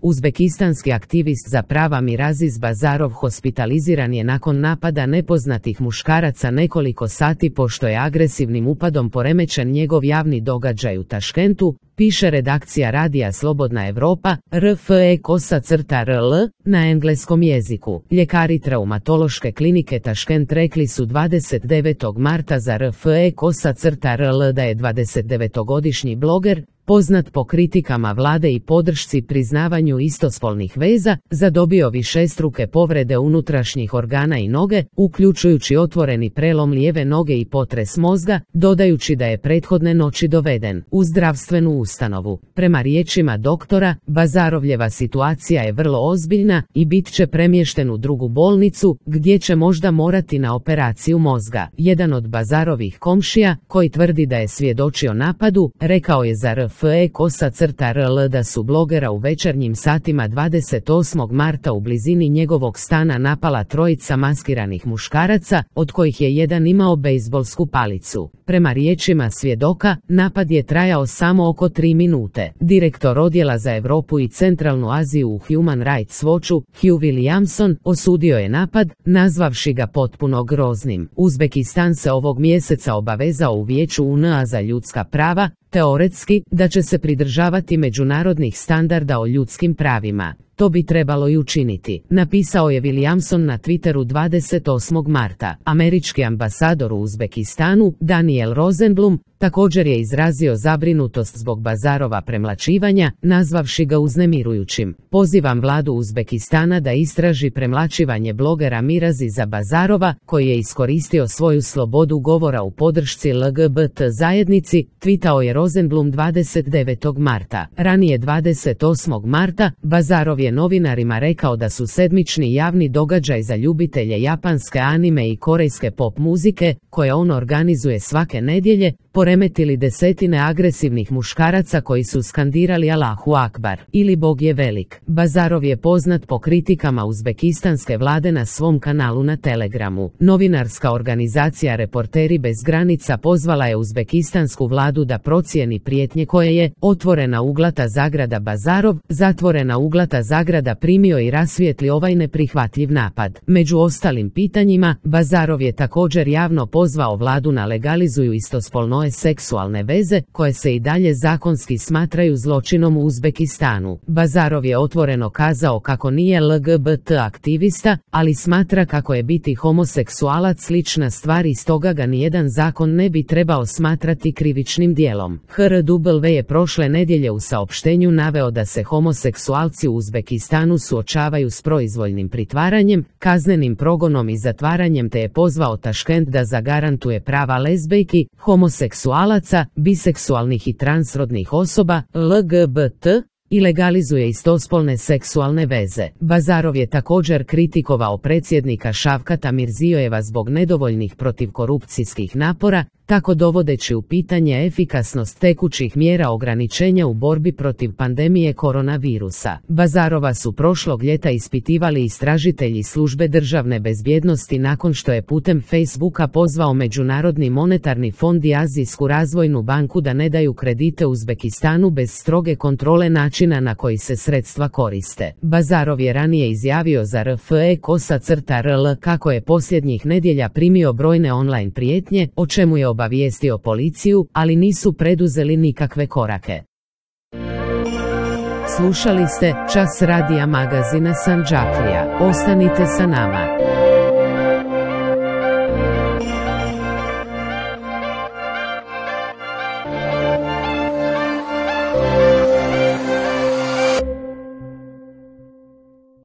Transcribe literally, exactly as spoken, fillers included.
Uzbekistanski aktivist za prava Miraziz Bazarov hospitaliziran je nakon napada nepoznatih muškaraca nekoliko sati pošto je agresivnim upadom poremećen njegov javni događaj u Taškentu, piše redakcija radija Slobodna Evropa, R F E kosa crta R L, na engleskom jeziku. Ljekari traumatološke klinike Taškent rekli su dvadeset devetog marta za R F E kosa crta R L da je dvadesetdevetogodišnji bloger, poznat po kritikama vlade i podršci priznavanju istospolnih veza, zadobio višestruke povrede unutrašnjih organa i noge, uključujući otvoreni prelom lijeve noge i potres mozga, dodajući da je prethodne noći doveden u zdravstvenu ustanovu. Prema riječima doktora, Bazarovljeva situacija je vrlo ozbiljna i bit će premješten u drugu bolnicu, gdje će možda morati na operaciju mozga. Jedan od Bazarovih komšija, koji tvrdi da je svjedočio napadu, rekao je za R F E kosa crta R L da su blogera u večernjim satima dvadeset osmog marta u blizini njegovog stana napala trojica maskiranih muškaraca, od kojih je jedan imao bejzbolsku palicu. Prema riječima svjedoka, napad je trajao samo oko tri minute. Direktor odjela za Europu i Centralnu Aziju u Human Rights Watchu, Hugh Williamson, osudio je napad, nazvavši ga potpuno groznim. Uzbekistan se ovog mjeseca obavezao u Vijeću U N A za ljudska prava, teoretski, da će se pridržavati međunarodnih standarda o ljudskim pravima. To bi trebalo i učiniti, napisao je Williamson na Twitteru dvadeset osmog marta. Američki ambasador u Uzbekistanu, Daniel Rosenblum, također je izrazio zabrinutost zbog Bazarova premlaćivanja, nazvavši ga uznemirujućim. Pozivam vladu Uzbekistana da istraži premlaćivanje blogera Miraziza Bazarova, koji je iskoristio svoju slobodu govora u podršci L G B T zajednici, tvitao je Rosenblum dvadeset devetog marta. Ranije dvadeset osmog marta, Bazarov je novinarima rekao da su sedmični javni događaj za ljubitelje japanske anime i korejske pop muzike, koje on organizuje svake nedjelje, poremetili desetine agresivnih muškaraca koji su skandirali Allahu Akbar ili Bog je velik. Bazarov je poznat po kritikama uzbekistanske vlade na svom kanalu na Telegramu. Novinarska organizacija Reporteri bez granica pozvala je uzbekistansku vladu da procijeni prijetnje koje je otvorena uglata zagrada Bazarov, zatvorena uglata zagrada primio i rasvijetli ovaj neprihvatljiv napad. Među ostalim pitanjima, Bazarov je također javno pozvao vladu na legalizuju istospolne seksualne veze, koje se i dalje zakonski smatraju zločinom u Uzbekistanu. Bazarov je otvoreno kazao kako nije L G B T aktivista, ali smatra kako je biti homoseksualac slična stvar i stoga ga nijedan zakon ne bi trebao smatrati krivičnim djelom. H R W je prošle nedjelje u saopštenju naveo da se homoseksualci u Uzbekistanu suočavaju s proizvoljnim pritvaranjem, kaznenim progonom i zatvaranjem te je pozvao Taškent da zagarantuje prava lezbejki, homoseksualaca, biseksualnih i transrodnih osoba, L G B T, i legalizuje istospolne seksualne veze. Bazarov je također kritikovao predsjednika Šavkata Mirzijojeva zbog nedovoljnih protivkorupcijskih napora, tako dovodeći u pitanje efikasnost tekućih mjera ograničenja u borbi protiv pandemije koronavirusa. Bazarova su prošlog ljeta ispitivali istražitelji službe državne bezbjednosti nakon što je putem Facebooka pozvao Međunarodni monetarni fond i Azijsku razvojnu banku da ne daju kredite Uzbekistanu bez stroge kontrole načina na koji se sredstva koriste. Bazarov je ranije izjavio za R F E kosa crta R L kako je posljednjih nedjelja primio brojne online prijetnje, o čemu je obavijestio policiju, ali nisu preduzeli nikakve korake. Slušali ste Čas radija magazina Sandžaklija. Ostanite sa nama.